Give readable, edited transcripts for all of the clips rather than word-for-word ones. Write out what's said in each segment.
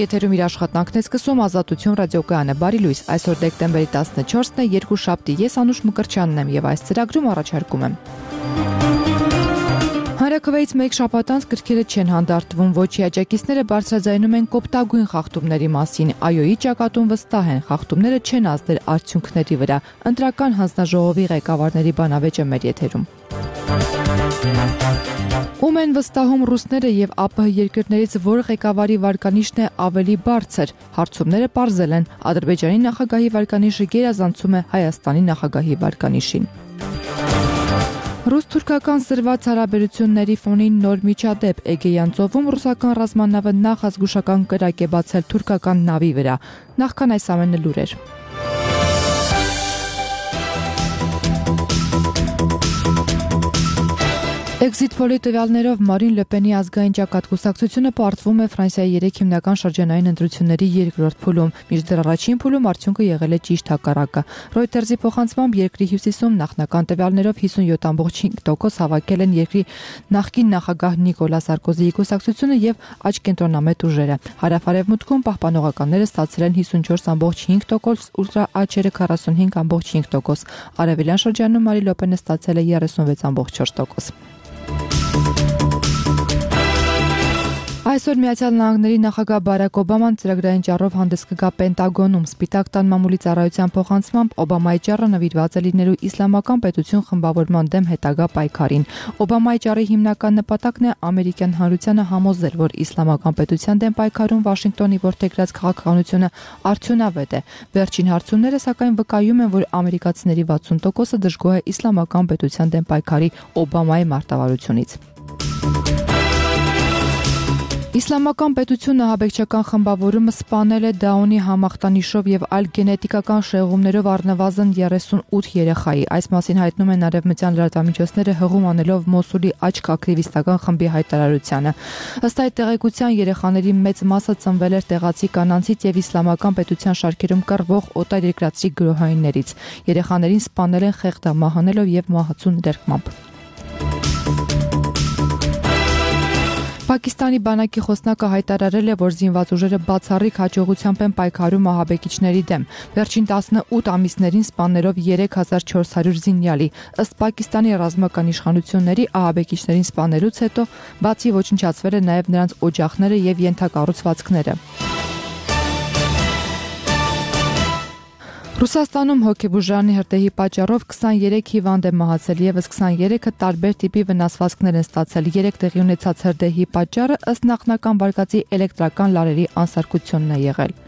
եթերում իր աշխատանքն է սկսում Ազատություն ռադիոկայանը։ Բարի լույս, այսօր դեկտեմբերի 14-ն է, երկուշաբթի, ես Անուշ Մկրտչյանն եմ եւ այս ծրագրում առաջարկում եմ։ Հանրաքվեից մեկ շաբաթ անց գրքերը չեն հանդարտվում, ոչի աջակիցները բարձրաձայնում են կոպտագույն խախտումների մասին, այոյի ճակատում վստահ են, խախտումները չեն ազդել արդյունքների վրա։ Ընտրական հանձնաժողովի ղեկավարների բանավեճը մեր եթերում։ Ում են վստահում ռուսները եւ ԱՊՀ երկրներից որ ղեկավարի վարկանիշն է ավելի բարձր։ Հարցումները պարզել են։ Ադրբեջանի նախագահի վարկանիշը գերազանցում է Հայաստանի նախագահի վարկանիշին։ Ռուս-թուրքական սրված հարաբերությունների ֆոնին նոր միջադեպ Էգեյան ծովում ռուսական ռազմանավը նախազգուշական կրակ է բացել թուրքական նավի վրա։ Նախքան այս ամենը լուրեր։ Exit Poll-ի տվյալներով Մարին Լը Պենի ազգային ճակատ կուսակցությունը պարտվում է Ֆրանսիայի 3 հիմնական շրջանային ընտրությունների երկրորդ փուլում, մինչդեռ առաջին փուլում արդյունքը եղել է ճիշտ հակառակը։ Reuters-ի փոխանցմամբ երկրի հյուսիսում նախնական տվյալներով 57.5% հավաքել են երկրի նախկին նախագահ Նիկոլա Սարկոզիի կուսակցությունը եւ աչքենտրոնամետ ուժերը։ Հարավ-արևմուտքում պահպանողականները ստացել են 54.5%, ուլտրաաչերը 45.5%։ Արևելյան շրջանում Մարին Լը Պենը ստացել է 36.4%։ Այսօր Միացյալ Նահանգների նախագահ Բարակ Օբաման ծրագրային ճառով հանդես կգա Պենտագոնում։ Սպիտակ տան մամուլի ծառայության փոխանցմամբ Օբամայի ճառը նվիրված է լինելու իսլամական պետություն խմբավորման դեմ հետագա պայքարին։ Օբամայի ճառի հիմնական նպատակն է ամերիկյան հանրությանը համոզել, որ իսլամական պետության դեմ պայքարում Վաշինգտոնի որդեգրած քաղաքականությունը արդյունավետ է։ Վերջին հարցումները սակայն վկայում են, որ ամերիկացիների 60%-ը դժգոհ է իսլամական պետության դեմ պայքարի Օբամայի մարտավարությունից։ Իսլամական պետությունը ահաբեկչական խմբավորումը սպանել է Դաունի համախտանիշով եւ այլ գենետիկական շեղումներով առնվազն 38 երեխայի։ Այս մասին հայտնում են արևմտյան լրատվամիջոցները հղում անելով Մոսուլի աչք ակտիվիստական խմբի հայտարարությանը։ Ըստ այդ տեղեկության երեխաների մեծ մասը ծնվել էր տեղացի կանանցից եւ իսլամական պետության շարքերում կռվող օտարերկրացի գրոհայիններից։ Երեխաներին սպանել են խեղդամահանելով եւ մահացու ներկմամբ։ Պակիստանի բանակի խոսնակը հայտարարել է, որ զինված ուժերը բացառիկ հաջողությամբ են պայքարում ահաբեկիչների դեմ։ Վերջին 18 ամիսներին սպանելով 3400 զինյալի։ Ըստ Պակիստանի ռազմական իշխանությունների ահաբեկիչներին սպանելուց հետո բացի ոչնչացվել է նաև նրանց օջախները եւ ենթակառուցվածքները։ Ռուսաստանում հոգեբուժարանի հրդեհի պատճառով 23 հիվանդ է մահացել, եւս 23-ը տարբեր տիպի վնասվածքներ են ստացել։ 3 տեղի ունեցած հրդեհի պատճառը ըստ նախնական վարկածի էլեկտրական լարերի անսարքությունն է եղել։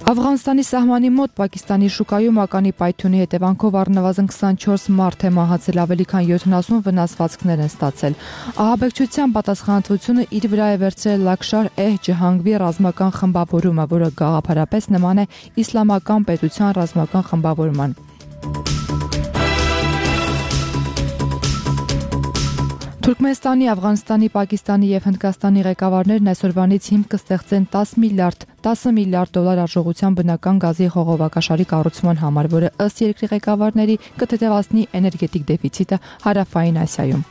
Աֆղանստանի սահմանի մոտ Պակիստանի շուկայում ականի պայթյունի հետևանքով առնվազն 24 մարդ է մահացել, ավելի քան 70 վնասվածքներ են ստացել։ Ահաբեկչության պատասխանատվությունը իր վրա է վերցրել Լաքշար Ջհանգվի ռազմական խմբավորումը, որը գաղափարապես նման է իսլամական պետության ռազմական խմբավորման։ Թուրքմենստանի, Աֆղանստանի, Պակիստանի եւ Հնդկաստանի ղեկավարներն այսօրվանից հիմք կստեղծեն 10 միլիարդ դոլար արժողությամբ բնական գազի խողովակաշարի կառուցման համար, որը ըստ երկրի ղեկավարների կթեթևացնի էներգետիկ դեֆիցիտը Հարավային Ասիայում։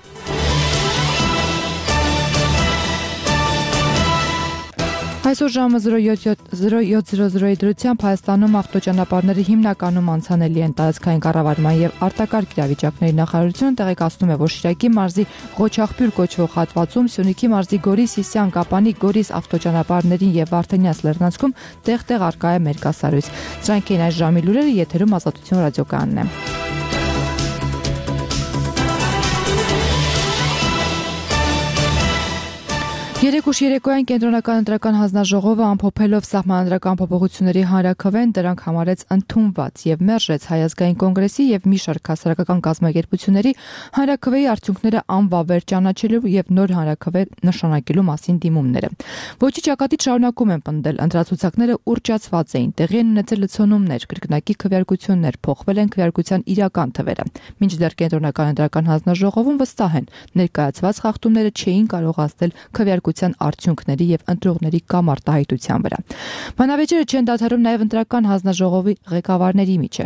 Այսօր ժամը 07:00-ի դրությամբ Հայաստանում ավտոճանապարհները հիմնականում անցանելի են։ Տարածքային կառավարման եւ արտակարգ իրավիճակների նախարարությունը տեղեկացնում է, որ Շիրակի մարզի Ղոչաղբյուր կոչվող հատվածում, Սյունիքի մարզի Գորիս-Սիսիան, Կապանի, Գորիս ավտոճանապարհներին եւ Վարդենյաց լեռնանցքում տեղ-տեղ արկա է մերկասարույց։ Սրանք են այս ժամի լուրերը, եթերում Ազատություն ռադիոկայանն է։ Երեկուշ երեկոյան կենտրոնական ընտրական հանձնաժողովը ամփոփելով սահմանադրական փոփոխությունների հանրաքվեն դրանք համարեց ընդունված եւ մերժեց Հայ ազգային կոնգրեսի եւ մի շարք հասարակական կազմակերպությունների հանրաքվեի արդյունքները անվավեր ճանաչելու եւ նոր հանրաքվե նշանակելու մասին դիմումները։ Ոչի ճակատից շարունակում են պնդել, ընտրացուցակները ուռճացված էին, տեղի են ունեցել լցոնումներ, կրկնակի քվեարկություններ, փոխվել են քվեարկության իրական թվերը։ Մինչդեռ կենտրոնական ընտրական հանձնաժողովում վստահ են, ներկայացված խախտումները չէին կարող ազդել քվեարկության խաղաղության արդյունքների եւ ընտրողների կամ արտահայտության վրա։ Բանավեճերը չեն դադարում նաեւ ընտրական հանձնաժողովի ղեկավարների միջև։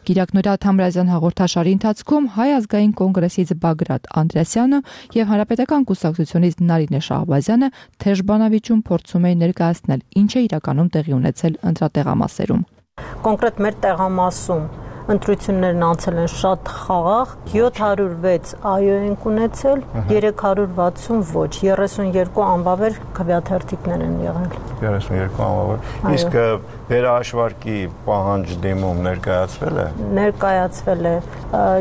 Կիրակ Նորա Թամրազյան հաղորդաշարի ընթացքում Հայ ազգային կոնգրեսից Բագրատ Անդրեասյանը եւ Հանրապետական կուսակցությունից Նարինե Շահբազյանը թեժ բանավիճում փորձում էին ներկայացնել ինչ է իրականում տեղի ունեցել ընտրատեղամասերում։ Կոնկրետ մեր տեղամասում ընտրություններն անցել են շատ խաղաղ, 706 այո ենք ունեցել, 360 ոչ, 32 անվավեր քվեաթերթիկներ են եղել։ 32 անվավեր։ Իսկ վերահաշվարկի պահանջ դիմում ներկայացվել է։ Ներկայացվել է,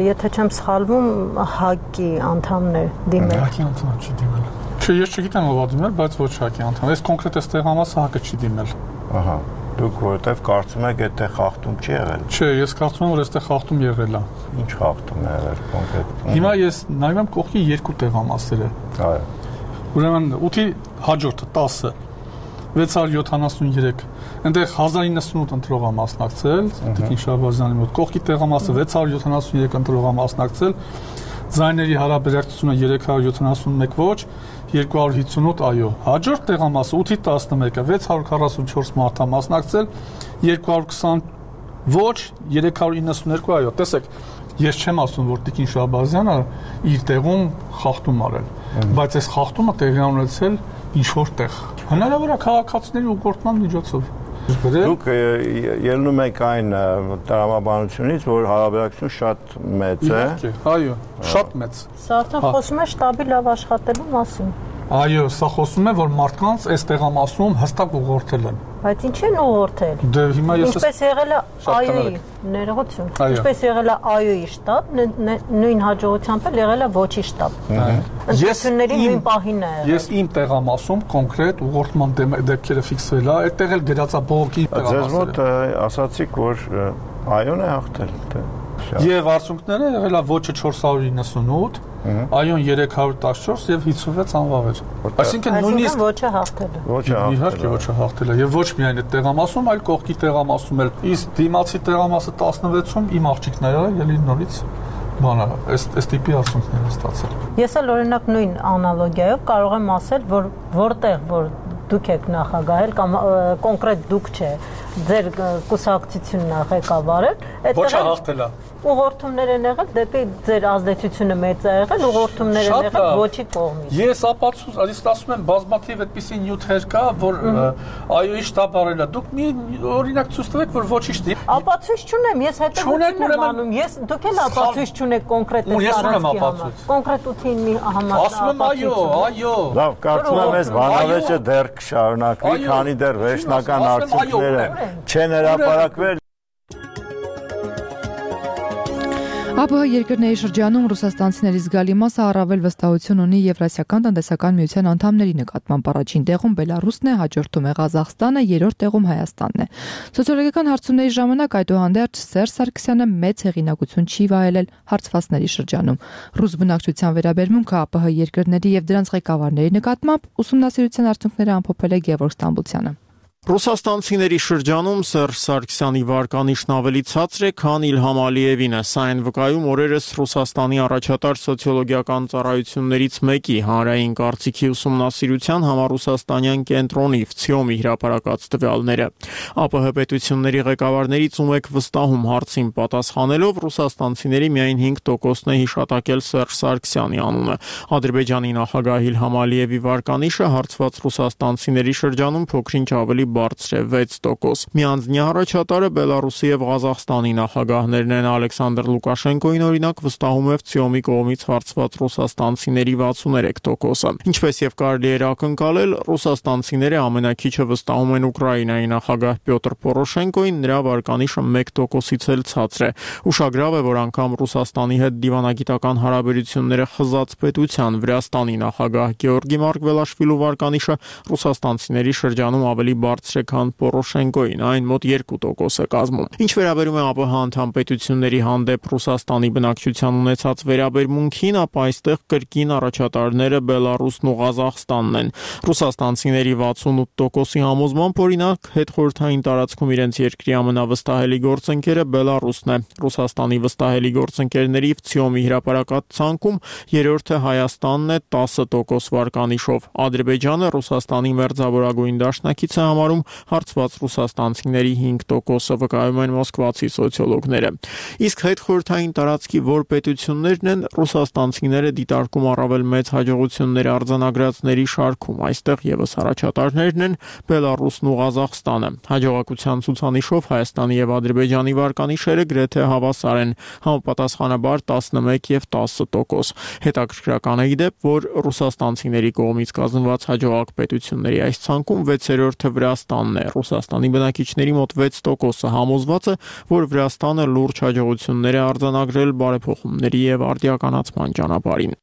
եթե չեմ սխալվում, ՀԱԿ-ի անդամներ դիմել։ ՀԱԿ-ի անդամ չի դիմել։ Չէ, ես չգիտեմ ով դիմել, բայց ոչ ՀԱԿ-ի անդամ։ Այս կոնկրետ տեղամասը ՀԱԿ-ը չի դիմել։ Ահա։ Դուք որովհետև կարծում եք այդտեղ խախտում չի եղել։ Չէ, ես կարծում եմ, որ այստեղ խախտում եղել է։ Ինչ խախտում է եղել կոնկրետ։ Հիմա ես նայում եմ կողքի երկու տեղամասերը։ Այո։ Ուրեմն 8-ի հաջորդը 10-ը 673, այնտեղ 1098 ընտրող է մասնակցել, Տիկին Շահբազյանի մոտ, կողքի տեղամասը 673 ընտրող է մասնակցել, ձայների հարաբերակցությունը 371 ոչ, 258 այո։ Հաջորդ տեղամասը 8-ի 11-ը 644 մարդ է մասնակցել, 220 ոչ, 392 այո։ Տեսեք, ես չեմ ասում, որ Տիկին Շահբազյանը իր տեղում խախտում արել, բայց այս խախտումը տեղի ունեցել ինչ-որ տեղ։ Հնարավոր է քաղաքացիների ուղղորդման միջոցով։ Դուք ելնում եք այն տրամաբանությունից, որ հարաբերակցությունը շատ մեծ է։ Այո, շատ մեծ։ Սա արդեն խոսում է շտաբի լավ աշխատելու մասին։ Այո, սա խոսում է, որ մարդկանց այս տեղամասում հստակ ուղղորդել են։ Բայց ինչ են ուղղորդել։ Դե հիմա ես ինչպես եղել է այոյի ներողություն։ Ինչպես եղել է այոյի շտաբ, նույն հաջողությամբ էլ եղել է ոչի շտաբ։ Ընտրությունների նույն պահին է եղել։ Ես իմ տեղամասում կոնկրետ ուղղորդման դեպքերը ֆիքսվել է, այդտեղ էլ գրած է բողոքի տեղամասը։ Ձեզ մոտ ասացիք, որ այոն է հաղթել։ Եվ արդյունքները եղել է ոչը 498, այոն 314 եւ 56 անվավեր։ Այսինքն նույնիսկ ոչը հաղթել է։ Ոչը հաղթել է։ Իհարկե ոչը հաղթել է եւ ոչ միայն այդ տեղամասում, այլ կողքի տեղամասում էլ։ Իսկ դիմացի տեղամասը 16-ում իմ աղջիկները ելի նորից բանը, այս տիպի արդյունքներ են ստացել։ Ես էլ օրինակ նույն անալոգիայով կարող եմ ասել, որ որտեղ որ դուք եք նախագահել կամ կոնկրետ դուք չէ, ձեր կուսակցությունն է ղեկավարել, Ոչը հաղթել է։ Ուղղորդումներ են եղել դեպի ձեր ազդեցությունը մեծ է եղել, ուղղորդումներ են եղել ոչի կողմից։ Ես ասում եմ բազմաթիվ այդպիսի նյութեր կա, որ այոյի շտաբ արել է։ Դուք մի օրինակ ցույց տվեք, որ ոչի շտի։ Ապացույց չունեմ, ես հետևություն եմ անում։ Ես դուք էլ ապացույց չունեք կոնկրետ այս կոնկրետ 8-ին մի համար։ Ասում եմ այո։ Լավ, կարծում եմ այս բանավեճը դեռ կշարունակվի, քանի դեռ վերջնական արդյունքները չեն հրապարակվել։ ԱՊՀ երկրների շրջանում ռուսաստանցիների զգալի մասը առավել վստահություն ունի Եվրասիական տնտեսական միության անդամների նկատմամբ։ Առաջին տեղում Բելարուսն է, հաջորդում է Ղազախստանը, երրորդ տեղում Հայաստանն է։ Սոցիոլոգիական հարցումների ժամանակ այդուհանդերձ Սերժ Սարգսյանը մեծ հեղինակություն չի վայելել հարցվածների շրջանում։ Ռուս բնակչության վերաբերմունքը ԱՊՀ երկրների եւ դրանց ղեկավարների նկատմամբ ուսումնասիրության արդյունքները ամփոփել է Գևորգ Ստամբուլցյանը։ Ռուսաստանցիների շրջանում Սերժ Սարգսյանի վարկանիշն ավելի ցածր է, քան Իլհամ Ալիևինը։ Սա այն վկայում օրերս Ռուսաստանի առաջատար սոցիոլոգիական ծառայություններից մեկի հանրային կարծիքի ուսումնասիրության համառուսաստանյան կենտրոնի ՎՑԻՕՄ-ի հրապարակած տվյալները։ ԱՊՀ պետությունների ղեկավարներից ում եք վստահում հարցին պատասխանելով ռուսաստանցիների միայն 5%-ն է հիշատակել Սերժ Սարգսյանի անունը։ Ադրբեջանի նախագահ Իլհամ Ալիևի վարկանիշը հարցված ռուսաստանցիների շրջանում փոքրինչ ավելի բարձր է 6%։ Միանձնյա առաջատարը Բելարուսի եւ Ղազախստանի նախագահներն են։ Ալեքսանդր Լուկաշենկոին օրինակ վստահում է ՎՑԻՕՄ-ի կողմից հարցված ռուսաստանցիների 63%-ը։ Ինչպես եւ կարելի էր ակնկալել, ռուսաստանցիները ամենակիչը վստահում են Ուկրաինայի նախագահ Պյոտր Պորոշենկոին, նրա վարկանիշը 1%-ից էլ ցածր է։ Ուշագրավ է, որ անգամ Ռուսաստանի հետ դիվանագիտական հարաբերությունները խզած պետության Վրաստանի նախագահ Գեորգի Մարկվելաշվիլու վարկանիշը ռուսաստանցիների շրջանում ավելի բարձր բարձր է, քան Պորոշենկոին, այն մոտ 2% է կազմում։ Ինչ վերաբերում է ԱՊՀ անդամ պետությունների հանդեպ Ռուսաստանի բնակչության ունեցած վերաբերմունքին, ապա այստեղ կրկին առաջատարները Բելարուսն ու Ղազախստանն են։ Ռուսաստանցիների 68%-ի համոզմամբ, օրինակ, հետխորհրդային տարածքում իրենց երկրի ամենավստահելի գործընկերը Բելարուսն է։ Ռուսաստանի վստահելի գործընկերների ՎՑԻՕՄ-ի հրապարակած ցանկում երրորդը Հայաստանն է 10% վարկանիշով։ Ադրբեջանը Ռուսաստանի մերձավորագույն դաշնակիցը համարում, հարցված ռուսաստանցիների 5%-ը, վկայում են մոսկվացի սոցիոլոգները։ Իսկ հետխորհրդային տարածքի որ պետություններն են, ռուսաստանցիները դիտարկում առավել մեծ հաջողություններ արձանագրածների շարքում։ Այստեղ եւս առաջատարներն են Բելարուսն ու Ղազախստանը։ Հաջողակության ցուցանիշով Հայաստանի եւ Ադրբեջանի վարկանիշերը գրեթե հավասար են, համապատասխանաբար 11 եւ 10%։ Հետաքրքրական է իդեպ, որ ռուսաստանցիների կողմից կազմված հաջողակ պետությունների այս ցանկում 6-րդը Վրաստանն է։ Ռուսաստանի բնակիչների մոտ 6%-ը համոզված է, որ Վրաստանը լուրջ հաջողություններ է արձանագրել բարեփոխումների եւ արդիականացման ճանապարհին։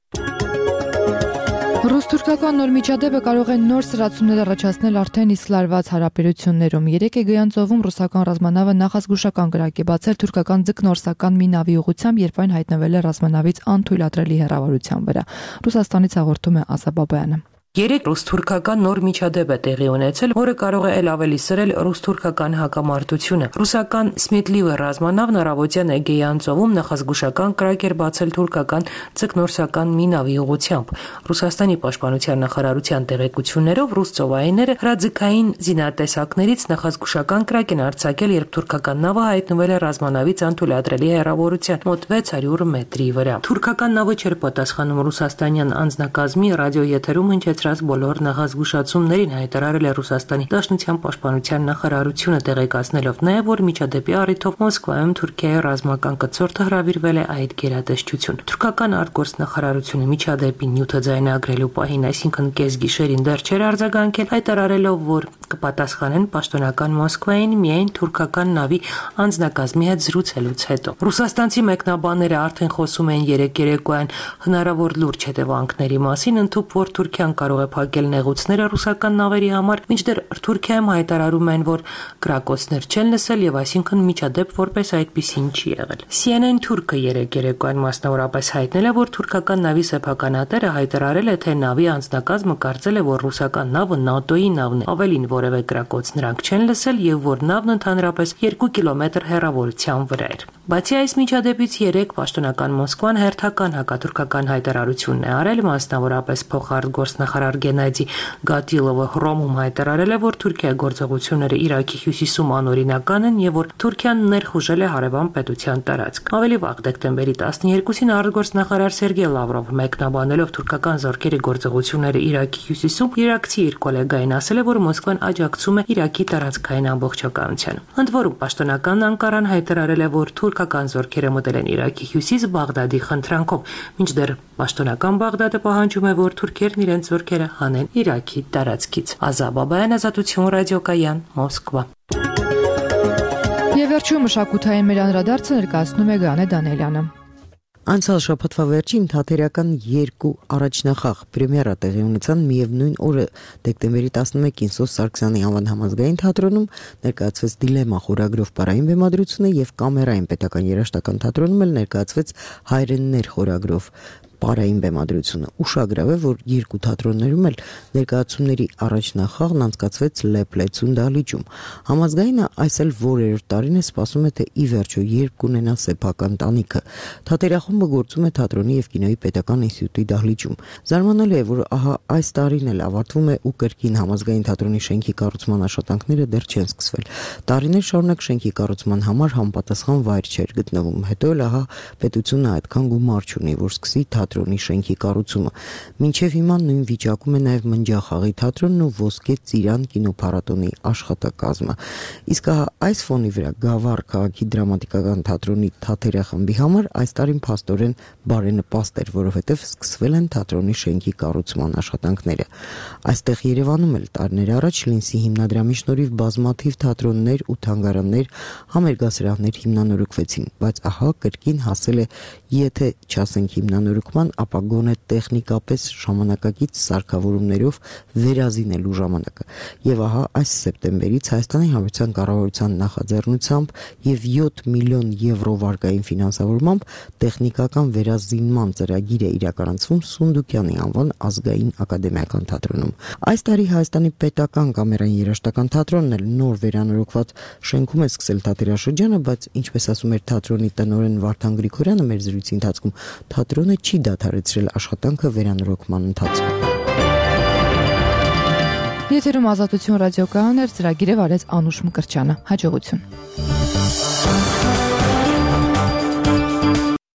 Ռուս-թուրքական նոր միջադեպը կարող է նոր սրացումներ առաջացնել արդեն իսկ լարված հարաբերություններում։ Երեկ Էգեյան ծովում ռուսական ռազմանավը նախազգուշական կրակ է բացել թուրքական ձկնորսական մի նավի ուղղությամբ, երբ այն հայտնվել է ռազմանավից անթույլատրելի հեռավորության վրա։ Ռուսաստանից հաղորդում է Ասա Բաբայանը։ Երեք ռուս-թուրքական նոր միջադեպ է տեղի ունեցել, որը կարող է ել ավելի սրել ռուս-թուրքական հակամարտությունը։ Ռուսական Սմետլիվը ռազմանավն առավոտյան Էգեյան ծովում նախազգուշական կրակ էր բացել թուրքական ձկնորսական մի նավի ուղղությամբ։ Ռուսաստանի պաշտպանության նախարարության տեղեկություններով ռուս ծովայինները հրաձգային զինատեսակներից նախազգուշական կրակ են արձակել, երբ թուրքական նավը հայտնվել է ռազմանավից անթույլատրելի հեռավորության մոտ 600 մետրի վրա։ Թուրքական նավը չէր պատասխանում ռուսաստանյան անձնակազմի ռադիոեթերում հնչեցրած բոլոր նախազգուշացումներին, հայտարարել է Ռուսաստանի Դաշնության պաշտպանության նախարարությունը, տեղեկացնելով նաև, որ միջադեպի առիթով Մոսկվայում Թուրքիայի ռազմական կցորդը հրավիրվել է այդ գերատեսչություն։ Թուրքական արտգործնախարարությունը միջադեպի նյութը ձայնագրելու պահին, այսինքն կեսգիշերին դեռ չէր արձագանքել, հայտարարելով, որ կպատասխանեն պաշտոնական Մոսկվային միայն թուրքական նավի անձնակազմի հետ զրուցելուց հետո։ Ռուսաստանցի մեկնաբանները արդեն խոսում են երեք երեկոյան հնարավոր լուրջ հետևանքների մասին, ընդհուպ որ Թուրքիան կարող է փակել նեղուցները ռուսական նավերի համար, մինչդեռ Թուրքիայում հայտարարում են, որ կրակոցներ չեն լսել եւ այսինքն միջադեպ որպես այդպիսին չի եղել։ CNN թուրքը երեք երեկոյան մասնավորապես հայտնել է, որ թուրքական նավի սեփականատերը հայտարարել է, թե նավի անձնակազմը կարծել է, որ ռուսական նավը ՆԱՏՕ-ի նավն է, ավելին որևէ կրակոց նրանք չեն լսել եւ որ նավն ընդհանրապես 2 կիլոմետր հեռավորության վրա էր։ Բացի այս միջադեպից երեք պաշտոնական Մոսկվան հերթական հակաթուրքական հայտարարությունն է արել, մասնավորապես փոխարտգործնախարար Գենադի Գատիլովը Հռոմում հայտարարել է, որ Թուրքիայի գործողությունները Իրաքի հյուսիսում անօրինական են եւ որ Թուրքիան ներխուժել է հարևան պետության տարածք։ Ավելի վաղ դեկտեմբերի 12-ին արտգործնախարար Սերգեյ Լավրովը մեկնաբանելով թուրքական զորքերի գործողությունները Իրաքի հյուսիսում իրաքցի իր գոլեգային ասել է, որ Մոսկվան աջակցում է Իրաքի տարածքային ամբողջականությանը։ Ընդ որում պաշտոնական Անկարան հայտարարել է, որ թուրքական զորքերը մտել են Իրաքի հյուսիս Բաղդադի խնդրանքով, մինչդեռ պաշտոնական Բաղդադը պահանջում է, որ թուրքերն իրենց զորքերը հանեն Իրաքի տարածքից։ Ազա Բաբայան, Ազատություն ռադիոկայան, Մոսկվա։ Եվ վերջում մշակութային մեր անդրադարձը ներկայացնում է Գանե Դանիելյանը։ Անցյալ շաբաթվա վերջին թատերական 2 առաջնախաղ պրեմիերա տեղի ունեցան միևնույն օրը դեկտեմբերի 11-ին Սոս Սարգսյանի անվան համազգային թատրոնում ներկայացվեց Դիլեմա խորագրով պարային բեմադրությունը եւ Կամերային պետական երաժշտական թատրոնում էլ ներկայացվեց Հայրեններ խորագրով պարային բեմադրությունը։ Ուշագրավ է, որ երկու թատրոններում էլ ներկայացումների առաջնախաղն անցկացվեց Լեփլեցուն դահլիճում։ Համազգայինը այս էլ որերորդ տարին է սպասում է, թե ի վերջո երբ կունենա սեփական տանիքը։ Թատերախումբը գործում է թատրոնի եւ կինոյի պետական ինստիտուտի դահլիճում։ Զարմանալի է, որ ահա այս տարին էլ ավարտվում է ու կրկին համազգային թատրոնի շենքի կառուցման աշխատանքները դեռ չեն սկսվել։ Տարիներ շարունակ շենքի կառուցման համար համապատասխան վայր չէր գտնվում։ Հետո էլ ահա պետությունը այդքան գումար չունի, որ սկսի թատրոնի շենքի կառուցումը։ Մինչև հիմա նույն վիճակում է նաև Մնջախաղի թատրոնն ու Ոսկե Ծիրան կինոփառատոնի աշխատակազմը։ Իսկ այս ֆոնի վրա Գավառ քաղաքի դրամատիկական թատրոնի թատերախմբի համար այս տարին փաստորեն բարենպաստ էր, որովհետև սկսվել են թատրոնի շենքի կառուցման աշխատանքները։ Այստեղ Երևանում էլ տարիներ առաջ Լինսի հիմնադրամի շնորհիվ բազմաթիվ թատրոններ ու թանգարաններ, համերգասրահներ հիմնանորոգվեցին, բայց ահա կրկին հասել է, եթե չասենք հիմնանորոգ թողարկման, ապա գոնե տեխնիկապես ժամանակակից սարքավորումներով վերազինելու ժամանակը։ Եվ ահա այս սեպտեմբերից Հայաստանի Հանրապետության կառավարության նախաձեռնությամբ եւ 7 միլիոն եվրո վարկային ֆինանսավորմամբ տեխնիկական վերազինման ծրագիր է իրականացվում Սունդուկյանի անվան ազգային ակադեմիական թատրոնում։ Այս տարի Հայաստանի պետական կամերային երաժշտական թատրոնն էլ նոր վերանորոգված շենքում է սկսել թատերաշրջանը, բայց ինչպես ասում էր թատրոնի տնօրեն Վարդան Գրիգորյանը մեր զրույցի ընթացքում, թատրոնը չի դադարեցրել աշխատանքը վերանորոգման ընթացքում։ Եթերում Ազատություն ռադիոկայանն էր, ծրագիրը վարեց Անուշ Մկրտչյանը։ Հաջողություն։